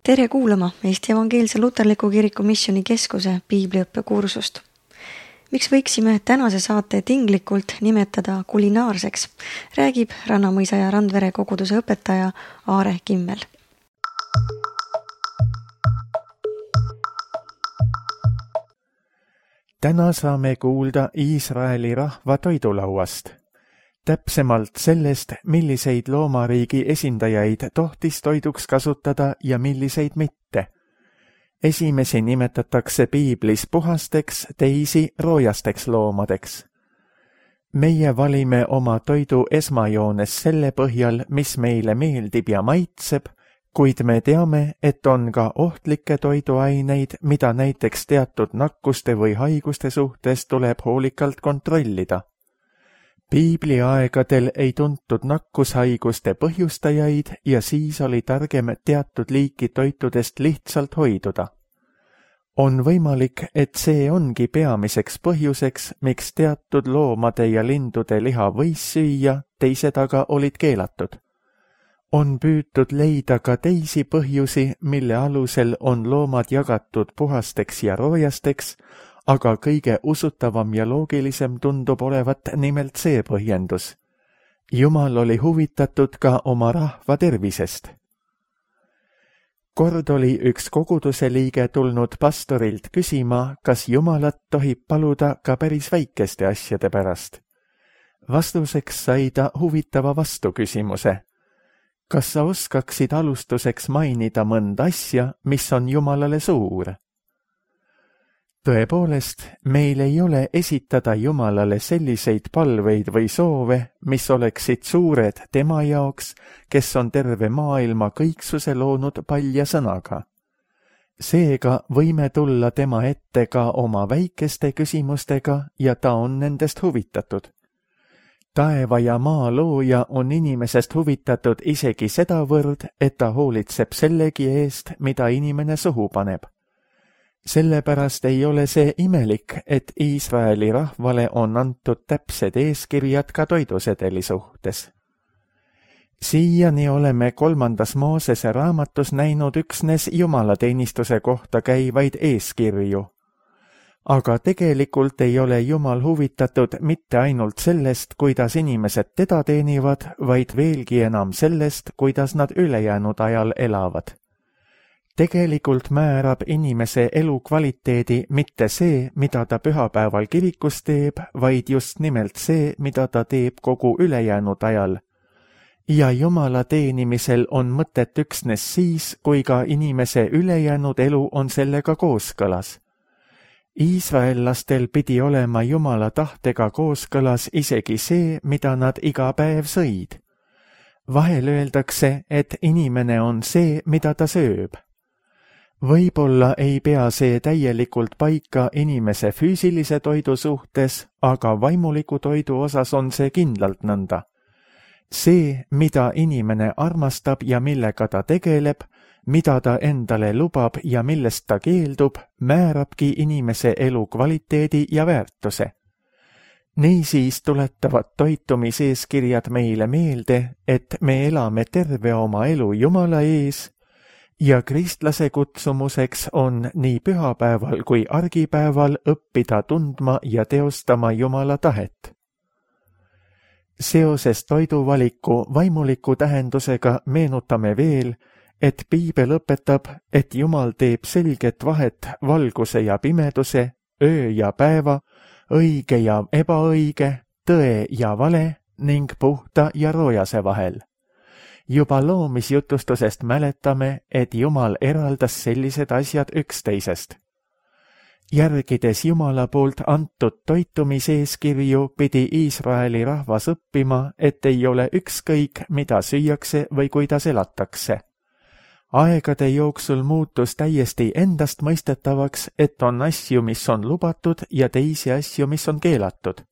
Tere kuulama Eesti Evangeelse Luterliku Kiriku Missioni Keskuse piibliõppekursust. Miks võiksime tänase saate tinglikult nimetada kulinaarseks, räägib Rannamõisa ja Randvere koguduse õpetaja Aare Kimmel. Täna saame kuulda Iisraeli rahva toidulauast. Täpsemalt sellest, milliseid loomariigi esindajaid tohtis toiduks kasutada ja milliseid mitte. Esimesi nimetatakse piiblis puhasteks, teisi roojasteks loomadeks. Meie valime oma toidu esmajoones selle põhjal, mis meile meeldib ja maitseb, kuid me teame, et on ka ohtlikke toiduaineid, mida näiteks teatud nakkuste või haiguste suhtes tuleb hoolikalt kontrollida. Piibliaegadel ei tuntud nakkushaiguste põhjustajaid ja siis oli targem teatud liiki toitudest lihtsalt hoiduda. On võimalik, et see ongi peamiseks põhjuseks, miks teatud loomade ja lindude liha võis süüa, teised aga olid keelatud. On püütud leida ka teisi põhjusi, mille alusel on loomad jagatud puhasteks ja roojasteks, aga kõige usutavam ja loogilisem tundub olevat nimelt see põhjendus. Jumal oli huvitatud ka oma rahva tervisest. Kord oli üks koguduse liige tulnud pastorilt küsima, kas Jumalat tohib paluda ka päris väikeste asjade pärast. Vastuseks sai ta huvitava vastuküsimuse. Kas sa oskaksid alustuseks mainida mõnda asja, mis on Jumalale suur? Tõepoolest, meil ei ole esitada Jumalale selliseid palveid või soove, mis oleksid suured tema jaoks, kes on terve maailma kõiksuse loonud palja sõnaga. Seega võime tulla tema ette ka oma väikeste küsimustega ja ta on nendest huvitatud. Taeva ja maa looja on inimesest huvitatud isegi sedavõrd, et ta hoolitseb sellegi eest, mida inimene suhu paneb. Sellepärast ei ole see imelik, et Iisraeli rahvale on antud täpsed eeskirjad ka toidusedeli suhtes. Siiani oleme 3. Moosese raamatus näinud üksnes jumalateenistuse kohta käivaid eeskirju. Aga tegelikult ei ole Jumal huvitatud mitte ainult sellest, kuidas inimesed teda teenivad, vaid veelgi enam sellest, kuidas nad ülejäänud ajal elavad. Tegelikult määrab inimese elukvaliteedi mitte see, mida ta pühapäeval kirikus teeb, vaid just nimelt see, mida ta teeb kogu ülejäänud ajal. Ja Jumala teenimisel on mõtet üksnes siis, kui ka inimese ülejäänud elu on sellega kooskõlas. Iisraellastel pidi olema Jumala tahtega kooskõlas isegi see, mida nad iga päev sõid. Vahel öeldakse, et inimene on see, mida ta sööb. Võib-olla ei pea see täielikult paika inimese füüsilise toidu suhtes, aga vaimuliku toidu osas on see kindlalt nõnda. See, mida inimene armastab ja millega ta tegeleb, mida ta endale lubab ja millest ta keeldub, määrabki inimese elu kvaliteedi ja väärtuse. Niisiis tuletavad toitumiseeskirjad meile meelde, et me elame terve oma elu Jumala ees, ja kristlase kutsumuseks on nii pühapäeval kui argipäeval õppida tundma ja teostama Jumala tahet. Seoses toiduvaliku vaimuliku tähendusega meenutame veel, et piibel õpetab, et Jumal teeb selget vahet valguse ja pimeduse, öö ja päeva, õige ja ebaõige, tõe ja vale ning puhta ja roojase vahel. Juba loomisjutustusest mäletame, et Jumal eraldas sellised asjad üksteisest. Järgides Jumala poolt antud toitumiseeskirju pidi Iisraeli rahvas õppima, et ei ole ükskõik, mida süüakse või kuidas elatakse. Aegade jooksul muutus täiesti endastmõistetavaks, et on asju, mis on lubatud ja teisi asju, mis on keelatud.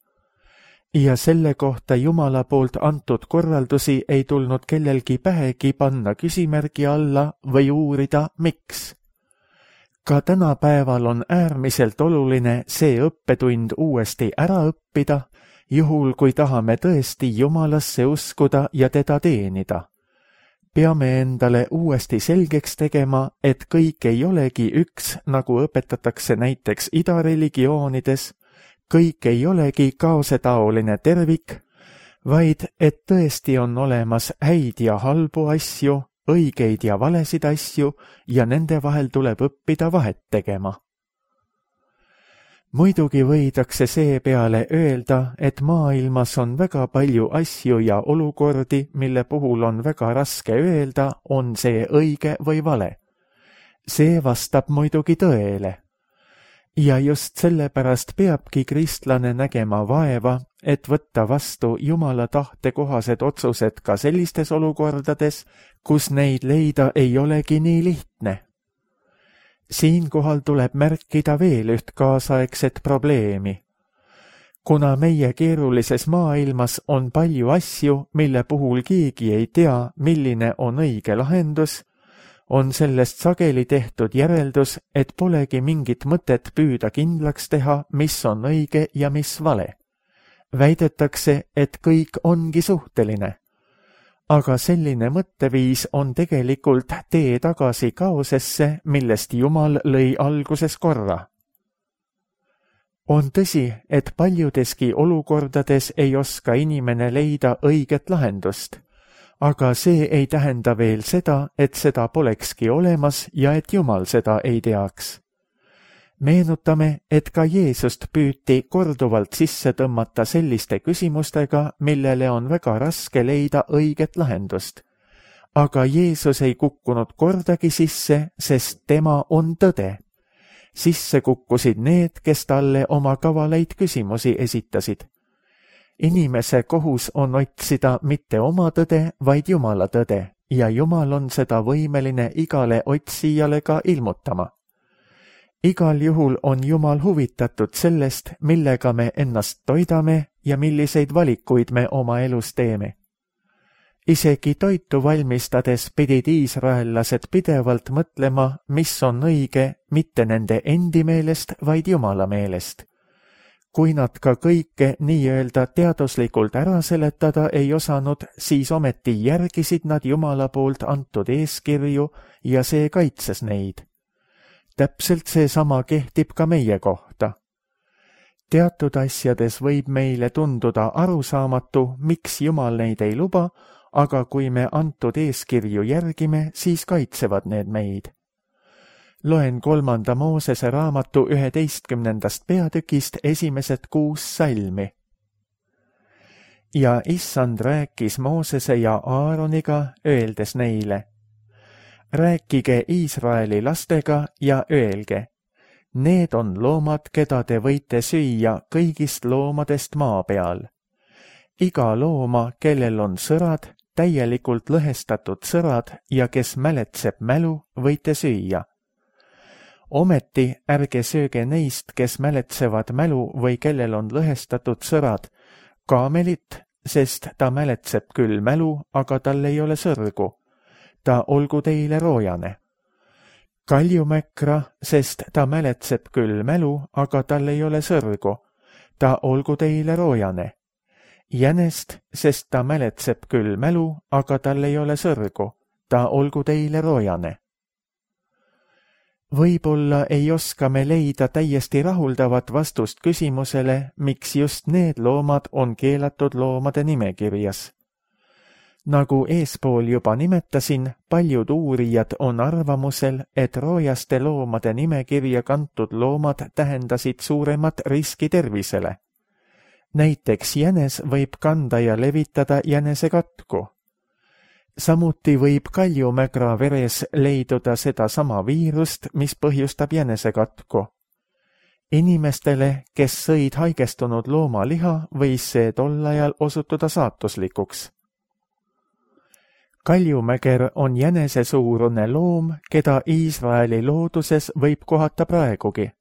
Ja selle kohta Jumala poolt antud korraldusi ei tulnud kellelgi pähegi panna küsimärgi alla või uurida, miks. Ka tänapäeval on äärmiselt oluline see õppetund uuesti ära õppida, juhul kui tahame tõesti Jumalasse uskuda ja teda teenida. peame endale uuesti selgeks tegema, et kõik ei olegi üks, nagu õpetatakse näiteks idareligioonides, kõik ei olegi kaosetaoline tervik, vaid et tõesti on olemas häid ja halbu asju, õigeid ja valesid asju ja nende vahel tuleb õppida vahet tegema. Muidugi võidakse seepeale öelda, et maailmas on väga palju asju ja olukordi, mille puhul on väga raske öelda, on see õige või vale. See vastab muidugi tõele. Ja just sellepärast peabki kristlane nägema vaeva, et võtta vastu Jumala tahte kohased otsused ka sellistes olukordades, kus neid leida ei olegi nii lihtne. Siinkohal tuleb märkida veel üht kaasaegset probleemi. Kuna meie keerulises maailmas on palju asju, mille puhul keegi ei tea, milline on õige lahendus, on sellest sageli tehtud järeldus, et polegi mingit mõtet püüda kindlaks teha, mis on õige ja mis vale. Väidetakse, et kõik ongi suhteline. Aga selline mõtteviis on tegelikult tee tagasi kaosesse, millest Jumal lõi alguses korra. On tõsi, et paljudeski olukordades ei oska inimene leida õiget lahendust, aga see ei tähenda veel seda, et seda polekski olemas ja et Jumal seda ei teaks. Meenutame, et ka Jeesust püüti korduvalt sisse tõmmata selliste küsimustega, millele on väga raske leida õiget lahendust. Aga Jeesus ei kukkunud kordagi sisse, sest tema on tõde. Sisse kukkusid need, kes talle oma kavalaid küsimusi esitasid. Inimese kohus on otsida mitte oma tõde, vaid Jumala tõde, ja Jumal on seda võimeline igale otsijale ka ilmutama. Igal juhul on Jumal huvitatud sellest, millega me ennast toidame ja milliseid valikuid me oma elus teeme. Isegi toitu valmistades pidid iisraellased pidevalt mõtlema, mis on õige, mitte nende endi meelest, vaid Jumala meelest. Kui nad ka kõike nii-öelda teaduslikult ära seletada ei osanud, siis ometi järgisid nad Jumala poolt antud eeskirju ja see kaitses neid. Täpselt seesama kehtib ka meie kohta. Teatud asjades võib meile tunduda arusaamatu, miks Jumal neid ei luba, aga kui me antud eeskirju järgime, siis kaitsevad need meid. Loen 3. Moosese raamatu 11. peatükist esimesed 6 salmi. Ja Issand rääkis Moosese ja Aaroniga, öeldes neile: rääkige Iisraeli lastega ja öelge, need on loomad, keda te võite süüa kõigist loomadest maa peal. Iga looma, kellel on sõrad, täielikult lõhestatud sõrad ja kes mäletseb mälu, võite süüa. Ometi ärge sööge neist, kes mäletsevad mälu või kellel on lõhestatud sõrad, kaamelit, sest ta mäletseb küll mälu, aga tal ei ole sõrgu. Ta olgu teile roojane. Kaljumäkra, sest ta mäletseb küll mälu, aga tal ei ole sõrgu. Ta olgu teile roojane. Jänest, sest ta mäletseb küll mälu, aga tal ei ole sõrgu. Ta olgu teile roojane. Võib-olla ei oska me leida täiesti rahuldavat vastust küsimusele, miks just need loomad on keelatud loomade nimekirjas. Nagu eespool juba nimetasin, paljud uurijad on arvamusel, et roojaste loomade nimekirja kantud loomad tähendasid suuremat riski tervisele. Näiteks jänes võib kanda ja levitada jänesekatku. Samuti võib kaljumägra veres leiduda sedasama viirust, mis põhjustab jänesekatku. Inimestele, kes sõid haigestunud loomaliha, võis see tol ajal osutuda saatuslikuks. Kaljumäger on jänesesuurune loom, keda Iisraeli looduses võib kohata praegugi.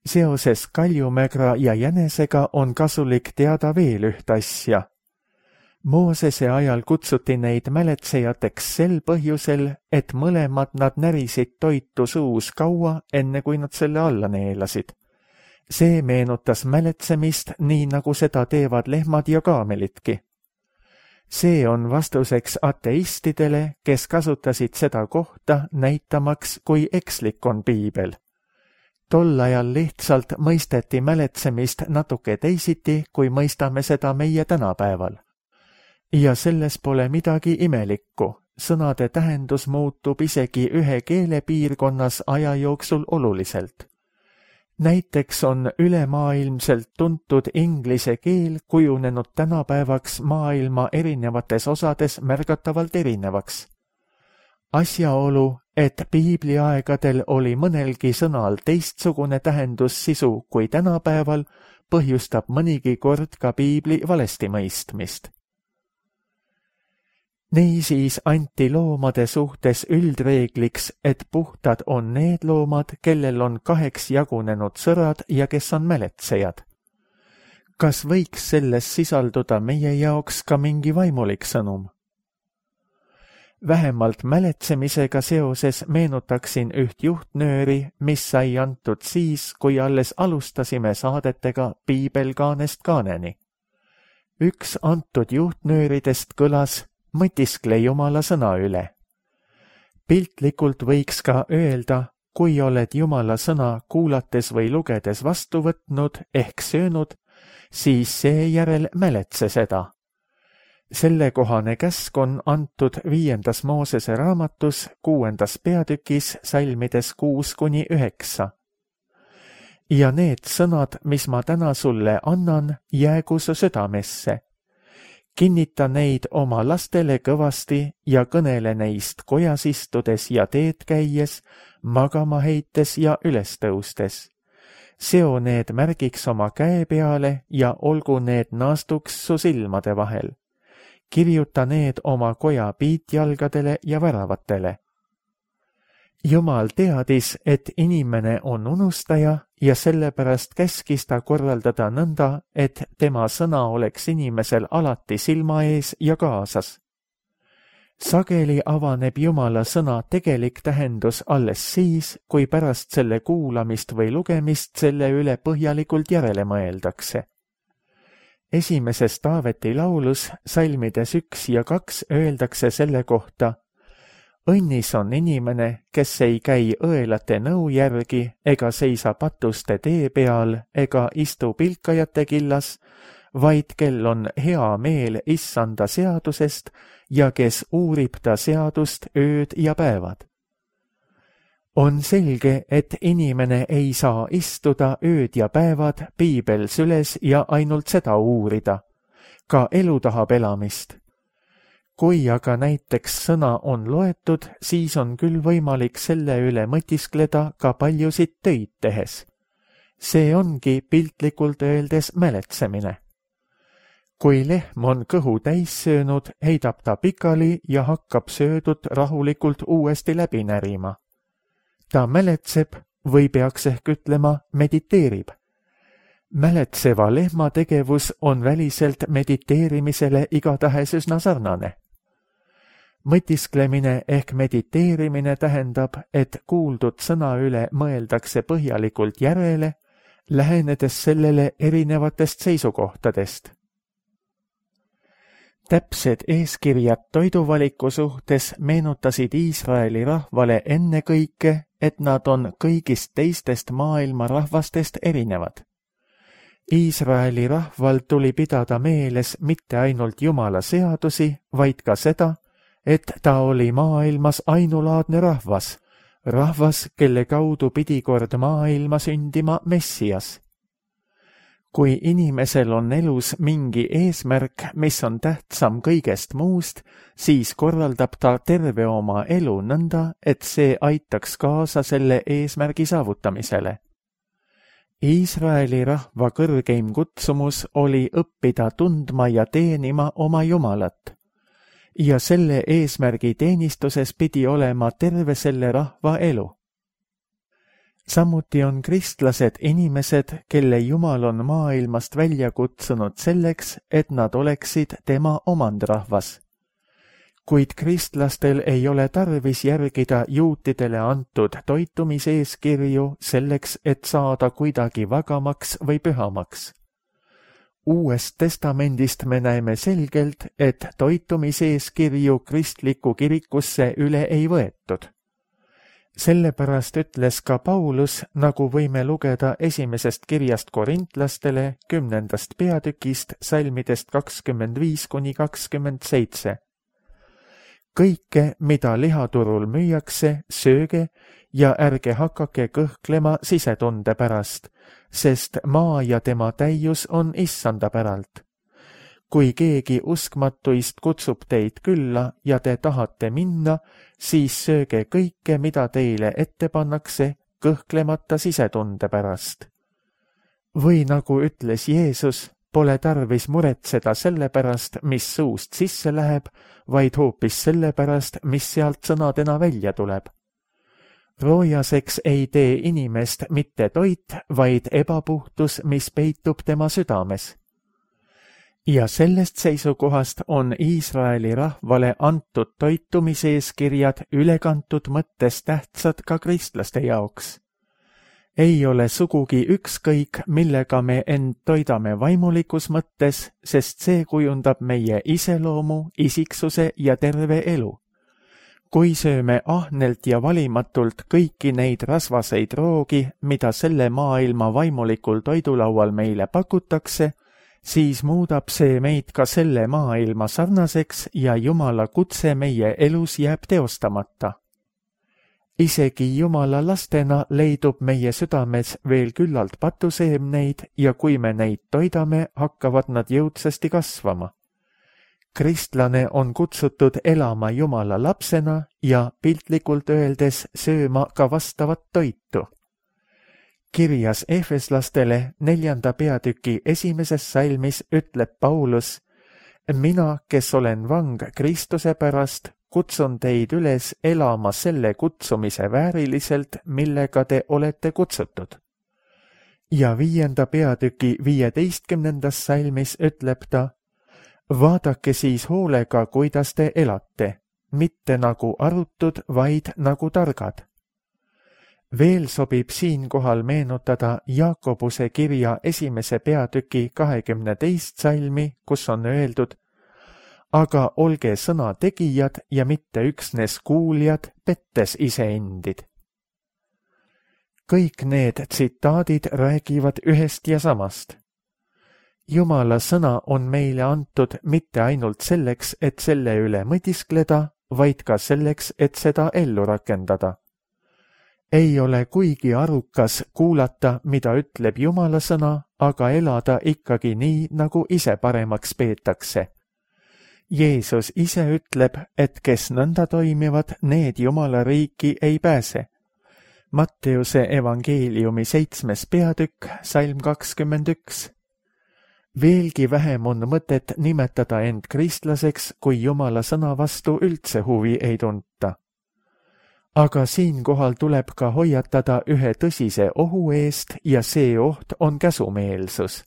Seoses kaljumägra ja jänesega on kasulik teada veel üht asja. Moosese ajal kutsuti neid mäletsejateks sel põhjusel, et mõlemad nad närisid toitu suus kaua, enne kui nad selle alla neelasid. See meenutas mäletsemist nii, nagu seda teevad lehmad ja kaamelitki. See on vastuseks ateistidele, kes kasutasid seda kohta näitamaks, kui ekslik on piibel. Tol ajal lihtsalt mõisteti mäletsemist natuke teisiti, kui mõistame seda meie tänapäeval. Ja selles pole midagi imelikku. Sõnade tähendus muutub isegi ühe keelepiirkonnas aja jooksul oluliselt. Näiteks on ülemaailmselt tuntud inglise keel kujunenud tänapäevaks maailma erinevates osades märgatavalt erinevaks. Asjaolu, et piibliaegadel oli mõnelgi sõnal teistsugune tähendussisu kui tänapäeval, põhjustab mõnigi kord ka piibli valesti mõistmist. Niisiis anti loomade suhtes üldreegliks, et puhtad on need loomad, kellel on 2 jagunenud sõrad ja kes on mäletsejad. Kas võiks selles sisalduda meie jaoks ka mingi vaimulik sõnum? Vähemalt mäletsemisega seoses meenutaksin üht juhtnööri, mis sai antud siis, kui alles alustasime saadetega Piibelkaanest kaaneni. Üks antud juhtnööridest kõlas: mõtiskle Jumala sõna üle. Piltlikult võiks ka öelda, kui oled Jumala sõna kuulates või lugedes vastu võtnud ehk söönud, siis seejärel mäletse seda. Sellekohane käsk on antud 5. Moosese raamatus 6. peatükis salmides 6-9. Ja need sõnad, mis ma täna sulle annan, jäägu su südamesse. Kinnita neid oma lastele kõvasti ja kõnele neist kojas istudes ja teed käies, magama heites ja üles tõustes. Seo need märgiks oma käe peale ja olgu need naastuks su silmade vahel. Kirjuta need oma koja piitjalgadele ja väravatele. Jumal teadis, et inimene on unustaja ja sellepärast käskis ta korraldada nõnda, et tema sõna oleks inimesel alati silma ees ja kaasas. Sageli avaneb Jumala sõna tegelik tähendus alles siis, kui pärast selle kuulamist või lugemist selle üle põhjalikult järele mõeldakse. Esimeses Taaveti laulus salmides 1 ja 2 öeldakse selle kohta: õnnis on inimene, kes ei käi õelate nõu järgi ega seisa patuste tee peal ega istu pilkajate killas, vaid kel on hea meel Issanda seadusest ja kes uurib ta seadust ööd ja päevad. On selge, et inimene ei saa istuda ööd ja päevad piibel süles ja ainult seda uurida. Ka elu tahab elamist. Kui aga näiteks sõna on loetud, siis on küll võimalik selle üle mõtiskleda ka paljusid töid tehes. See ongi piltlikult öeldes mäletsemine. Kui lehm on kõhu täis söönud, heidab ta pikali ja hakkab söödut rahulikult uuesti läbi närima. Ta mäletseb või peaks ehk ütlema mediteerib. Mäletseva lehma tegevus on väliselt mediteerimisele igatahes üsna sarnane. Mõtisklemine ehk mediteerimine tähendab, et kuuldud sõna üle mõeldakse põhjalikult järele, lähenedes sellele erinevatest seisukohtadest. Täpsed eeskirjad toiduvaliku suhtes meenutasid Iisraeli rahvale ennekõike, et nad on kõigist teistest maailma rahvastest erinevad. Iisraeli rahval tuli pidada meeles mitte ainult Jumala seadusi, vaid ka seda, et ta oli maailmas ainulaadne rahvas, rahvas, kelle kaudu pidi kord maailma sündima Messias. Kui inimesel on elus mingi eesmärk, mis on tähtsam kõigest muust, siis korraldab ta terve oma elu nõnda, et see aitaks kaasa selle eesmärgi saavutamisele. Iisraeli rahva kõrgeim kutsumus oli õppida tundma ja teenima oma Jumalat. Ja selle eesmärgi teenistuses pidi olema terve selle rahva elu. Samuti on kristlased inimesed, kelle Jumal on maailmast välja kutsunud selleks, et nad oleksid tema omandrahvas. Kuid kristlastel ei ole tarvis järgida juutidele antud toitumiseeskirju selleks, et saada kuidagi vagamaks või pühamaks. Uuest testamendist me näeme selgelt, et toitumiseeskirju kristlikku kirikusse üle ei võetud. Sellepärast ütles ka Paulus, nagu võime lugeda esimesest kirjast korintlastele 10. peatükist salmidest 25–27. Kõike, mida lihaturul müüakse, sööge ja ärge hakake kõhklema sisetunde pärast, sest maa ja tema täius on issanda päralt. Kui keegi uskmatuist kutsub teid külla ja te tahate minna, siis sööge kõike, mida teile ette pannakse, kõhklemata sisetunde pärast. Või nagu ütles Jeesus, pole tarvis muretseda selle pärast, mis suust sisse läheb, vaid hoopis selle pärast, mis sealt sõnadena välja tuleb. Roojaseks ei tee inimest mitte toit, vaid ebapuhtus, mis peitub tema südames. Ja sellest seisukohast on Iisraeli rahvale antud toitumiseeskirjad ülekantud mõttes tähtsad ka kristlaste jaoks. Ei ole sugugi ükskõik, millega me end toidame vaimulikus mõttes, sest see kujundab meie iseloomu, isiksuse ja terve elu. Kui sööme ahnelt ja valimatult kõiki neid rasvaseid roogi, mida selle maailma vaimulikul toidulaual meile pakutakse, siis muudab see meid ka selle maailma sarnaseks ja Jumala kutse meie elus jääb teostamata. Isegi Jumala lastena leidub meie südames veel küllalt patuseemneid ja kui me neid toidame, hakkavad nad jõudsasti kasvama. Kristlane on kutsutud elama Jumala lapsena ja piltlikult öeldes sööma ka vastavat toitu. Kirjas Efeslastele 4. peatüki 1. salmis ütleb Paulus, mina, kes olen vang Kristuse pärast, kutsun teid üles elama selle kutsumise vääriliselt, millega te olete kutsutud. Ja 5. peatüki 15. salmis ütleb ta, vaadake siis hoolega, kuidas te elate, mitte nagu arutud, vaid nagu targad. Veel sobib siinkohal meenutada Jaakobuse kirja 1. peatüki 22. salmi, kus on öeldud, aga olge sõna tegijad ja mitte üksnes kuuljad, pettes iseendid. Kõik need tsitaadid räägivad ühest ja samast. Jumala sõna on meile antud mitte ainult selleks, et selle üle mõtiskleda, vaid ka selleks, et seda ellu rakendada. Ei ole kuigi arukas kuulata, mida ütleb Jumala sõna, aga elada ikkagi nii, nagu ise paremaks peetakse. Jeesus ise ütleb, et kes nõnda toimivad, need Jumala riiki ei pääse. Matteuse evangeeliumi 7. peatükk, salm 21. Veelgi vähem on mõtet nimetada end kristlaseks, kui Jumala sõna vastu üldse huvi ei tunta. Aga siinkohal tuleb ka hoiatada ühe tõsise ohu eest ja see oht on käsumeelsus.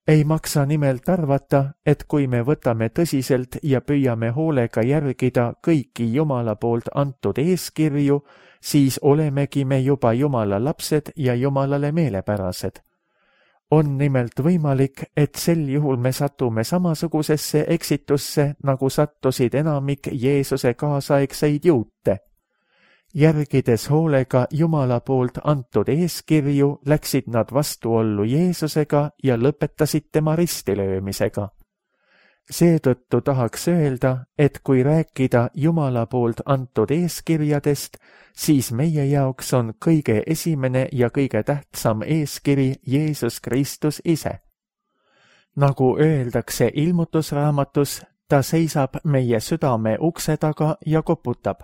Ei maksa nimelt arvata, et kui me võtame tõsiselt ja püüame hoolega järgida kõiki Jumala poolt antud eeskirju, siis olemegi me juba Jumala lapsed ja Jumalale meelepärased. On nimelt võimalik, et sel juhul me satume samasugusesse eksitusse, nagu sattusid enamik Jeesuse kaasaegseid juute. Järgides hoolega Jumala poolt antud eeskirju, läksid nad vastuollu Jeesusega ja lõpetasid tema ristilöömisega. Seetõttu tahaks öelda, et kui rääkida Jumala poolt antud eeskirjadest, siis meie jaoks on kõige esimene ja kõige tähtsam eeskiri Jeesus Kristus ise. Nagu öeldakse ilmutusraamatus, ta seisab meie südame ukse taga ja koputab.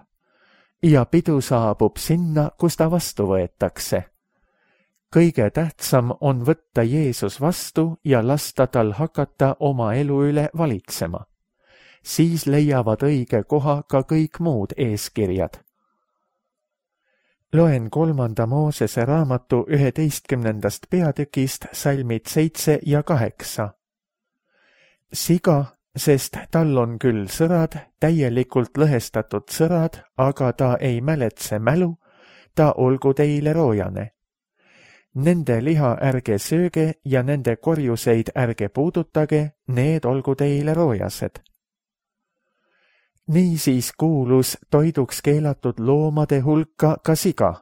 Ja pidu saabub sinna, kus ta vastu võetakse. Kõige tähtsam on võtta Jeesus vastu ja lasta tal hakata oma elu üle valitsema. Siis leiavad õige koha ka kõik muud eeskirjad. Loen 3. Moosese raamatu 11. peatükist salmid 7 ja 8. Siga, sest tal on küll sõrad, täielikult lõhestatud sõrad, aga ta ei mäletse mälu, ta olgu teile roojane. Nende liha ärge sööge ja nende korjuseid ärge puudutage, need olgu teile roojased. Niisiis kuulus toiduks keelatud loomade hulka ka siga.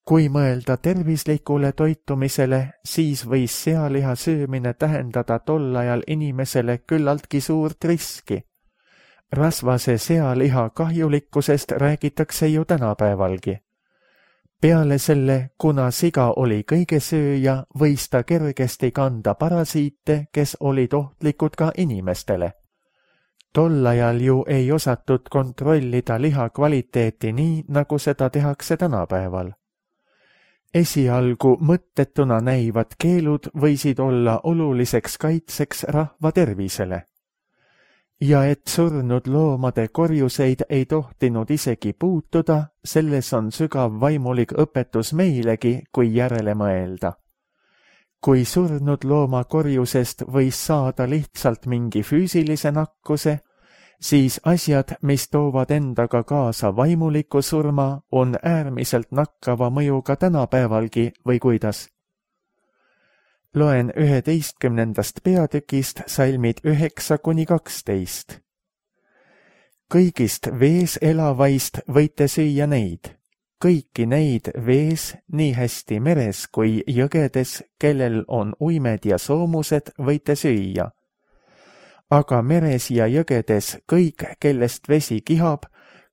Kui mõelda tervislikule toitumisele, siis võis sealiha söömine tähendada tol ajal inimesele küllaltki suurt riski. Rasvase sealiha kahjulikkusest räägitakse ju tänapäevalgi. Peale selle, kuna siga oli kõigesööja, võis ta kergesti kanda parasiite, kes olid ohtlikud ka inimestele. Tol ajal ju ei osatud kontrollida liha kvaliteeti nii, nagu seda tehakse tänapäeval. Esialgu mõttetuna näivad keelud võisid olla oluliseks kaitseks rahva tervisele. Ja et surnud loomade korjuseid ei tohtinud isegi puutuda, selles on sügav vaimulik õpetus meilegi, kui järele mõelda. Kui surnud looma korjusest võis saada lihtsalt mingi füüsilise nakkuse, siis asjad, mis toovad endaga kaasa vaimuliku surma, on äärmiselt nakkava mõjuga tänapäevalgi või kuidas. Loen 11. peatükist salmid 9–12. Kõigist vees elavaist võite süüa neid. Kõiki neid vees, nii hästi meres kui jõgedes, kellel on uimed ja soomused, võite süüa. Aga meres ja jõgedes kõik, kellest vesi kihab,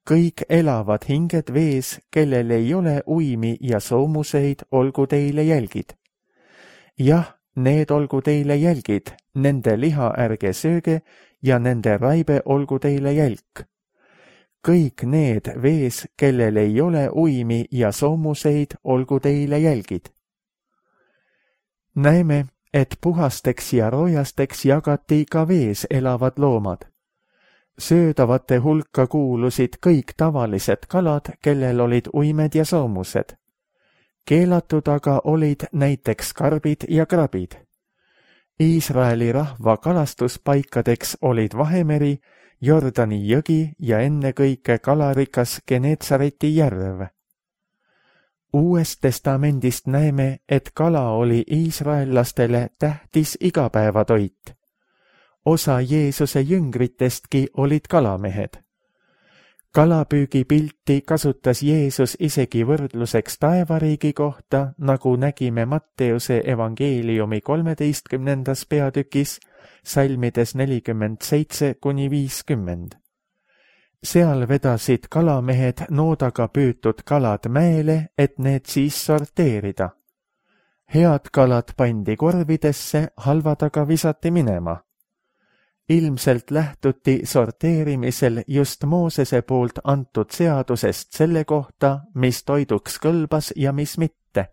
kõik elavad hinged vees, kellel ei ole uimi ja soomuseid, olgu teile jälgid. Jah, need olgu teile jälgid, nende liha ärge sööge ja nende raibe olgu teile jälk. Kõik need vees, kellel ei ole uimi ja soomuseid, olgu teile jälgid. Näeme, et puhasteks ja roojasteks jagati ka vees elavad loomad. Söödavate hulka kuulusid kõik tavalised kalad, kellel olid uimed ja soomused. Keelatud aga olid näiteks karbid ja krabid. Iisraeli rahva kalastuspaikadeks olid Vahemeri, Jordani jõgi ja ennekõike kalarikas Genetsareti järv. Uuest testamendist näeme, et kala oli iisraellastele tähtis igapäevatoit. Osa Jeesuse jüngritestki olid kalamehed. Kalapüügipilti kasutas Jeesus isegi võrdluseks taevariigi kohta, nagu nägime Matteuse evangeeliumi 13. peatükis, salmides 47–50. Seal vedasid kalamehed noodaga püütud kalad mäele, et need siis sorteerida. Head kalad pandi korvidesse, halvad aga visati minema. Ilmselt lähtuti sorteerimisel just Moosese poolt antud seadusest selle kohta, mis toiduks kõlbas ja mis mitte.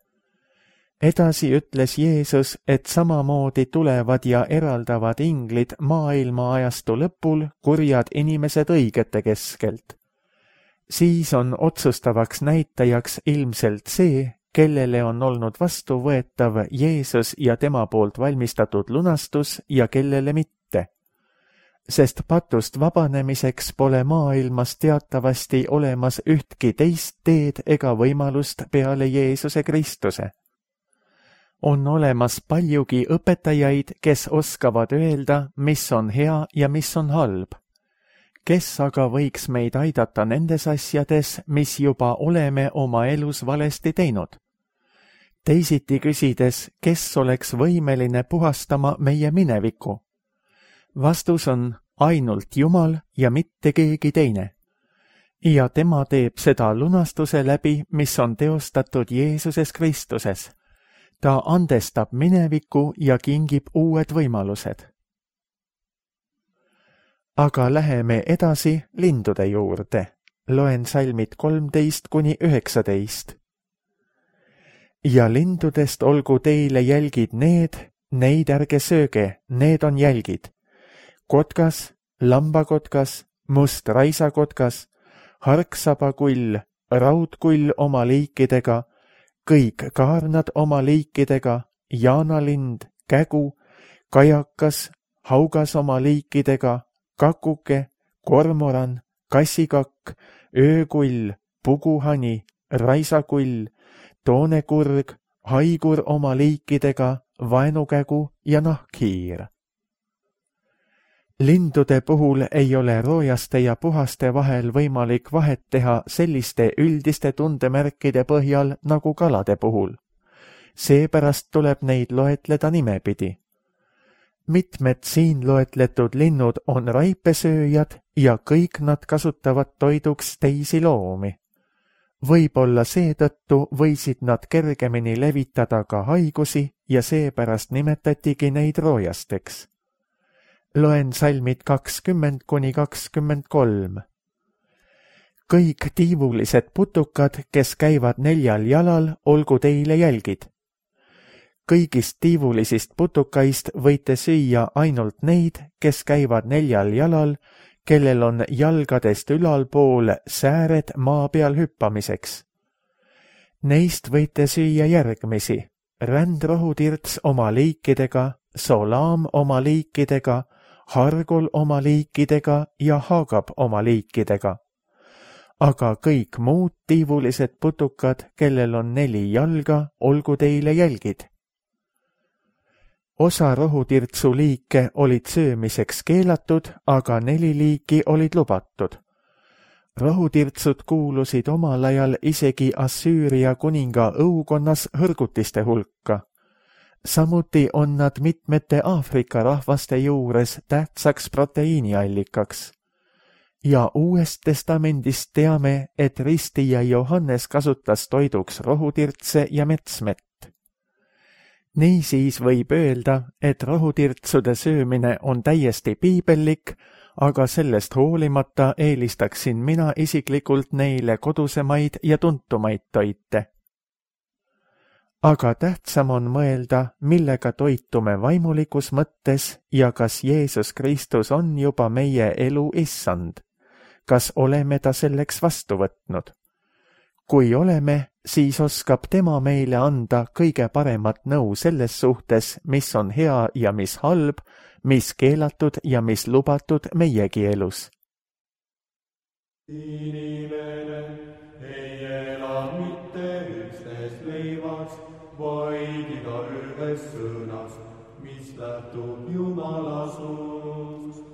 Edasi ütles Jeesus, et samamoodi tulevad ja eraldavad inglid maailma ajastu lõpul kurjad inimesed õigete keskelt. Siis on otsustavaks näitajaks ilmselt see, kellele on olnud vastuvõetav Jeesus ja tema poolt valmistatud lunastus ja kellele mitte. Sest patust vabanemiseks pole maailmas teatavasti olemas ühtki teist teed ega võimalust peale Jeesuse Kristuse. On olemas paljugi õpetajaid, kes oskavad öelda, mis on hea ja mis on halb. Kes aga võiks meid aidata nendes asjades, mis juba oleme oma elus valesti teinud? Teisiti küsides, kes oleks võimeline puhastama meie mineviku? Vastus on ainult Jumal ja mitte keegi teine. Ja tema teeb seda lunastuse läbi, mis on teostatud Jeesuses Kristuses. Ta andestab mineviku ja kingib uued võimalused. Aga läheme edasi lindude juurde. Loen salmid 13–19. Ja lindudest olgu teile jälgid neid ärge sööge, need on jälgid. Kotkas, lambakotkas, must raisakotkas, harksabakull, raudkull oma liikidega, kõik kaarnad oma liikidega, jaanalind, kägu, kajakas, haugas oma liikidega, kakuke, kormoran, kassikakk, öökull, puguhani, raisakull, toonekurg, haigur oma liikidega, vaenukägu ja nahkhiir. Lindude puhul ei ole roojaste ja puhaste vahel võimalik vahet teha selliste üldiste tundemärkide põhjal nagu kalade puhul. Seepärast tuleb neid loetleda nimepidi. Mitmed siin loetletud linnud on raipesööjad ja kõik nad kasutavad toiduks teisi loomi. Võib-olla seetõttu võisid nad kergemini levitada ka haigusi ja seepärast nimetatigi neid roojasteks. Loen salmid 20–23. Kõik tiivulised putukad, kes käivad 4 jalal, olgu teile jälgid. Kõigist tiivulisist putukaist võite süüa ainult neid, kes käivad 4 jalal, kellel on jalgadest ülalpool sääred maa peal hüppamiseks. Neist võite süüa järgmisi: rändrohutirts oma liikidega, solaam oma liikidega, hargul oma liikidega ja haagab oma liikidega. Aga kõik muud tiivulised putukad, kellel on 4 jalga, olgu teile jälgid. Osa rohutirtsu liike olid söömiseks keelatud, aga 4 liiki olid lubatud. Rohutirtsud kuulusid omal ajal isegi Assüüria kuninga õukonnas hõrgutiste hulka. Samuti on nad mitmete Aafrika rahvaste juures tähtsaks proteiiniallikaks. Ja Uuest Testamendist teame, et ristija Johannes kasutas toiduks rohutirtse ja metsmet. Niisiis võib öelda, et rohutirtsude söömine on täiesti piibellik, aga sellest hoolimata eelistaksin mina isiklikult neile kodusemaid ja tuntumaid toite. Aga tähtsam on mõelda, millega toitume vaimulikus mõttes ja kas Jeesus Kristus on juba meie elu issand. Kas oleme ta selleks vastu võtnud? Kui oleme, siis oskab tema meile anda kõige paremat nõu selles suhtes, mis on hea ja mis halb, mis keelatud ja mis lubatud meiegi elus. Inimene ei ela mitte üksnes leivast, vaid igaühest sõnast, mis lähtub Jumala suust.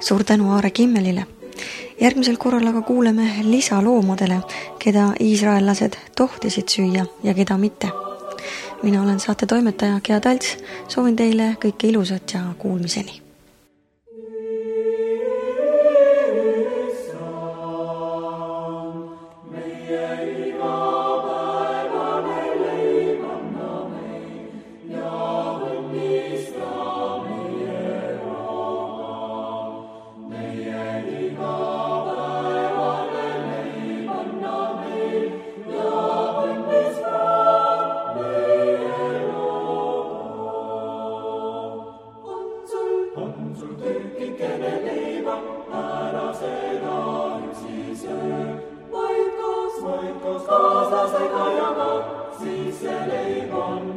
Suur tänu Aare Kimmelile. Järgmisel korral aga kuuleme lisaloomadele, keda iisraellased tohtisid süüa ja keda mitte. Mina olen saate toimetaja Gea Talts, soovin teile kõike ilusat ja kuulmiseni. Vaid koos kaaslasega jaga, siis see leib on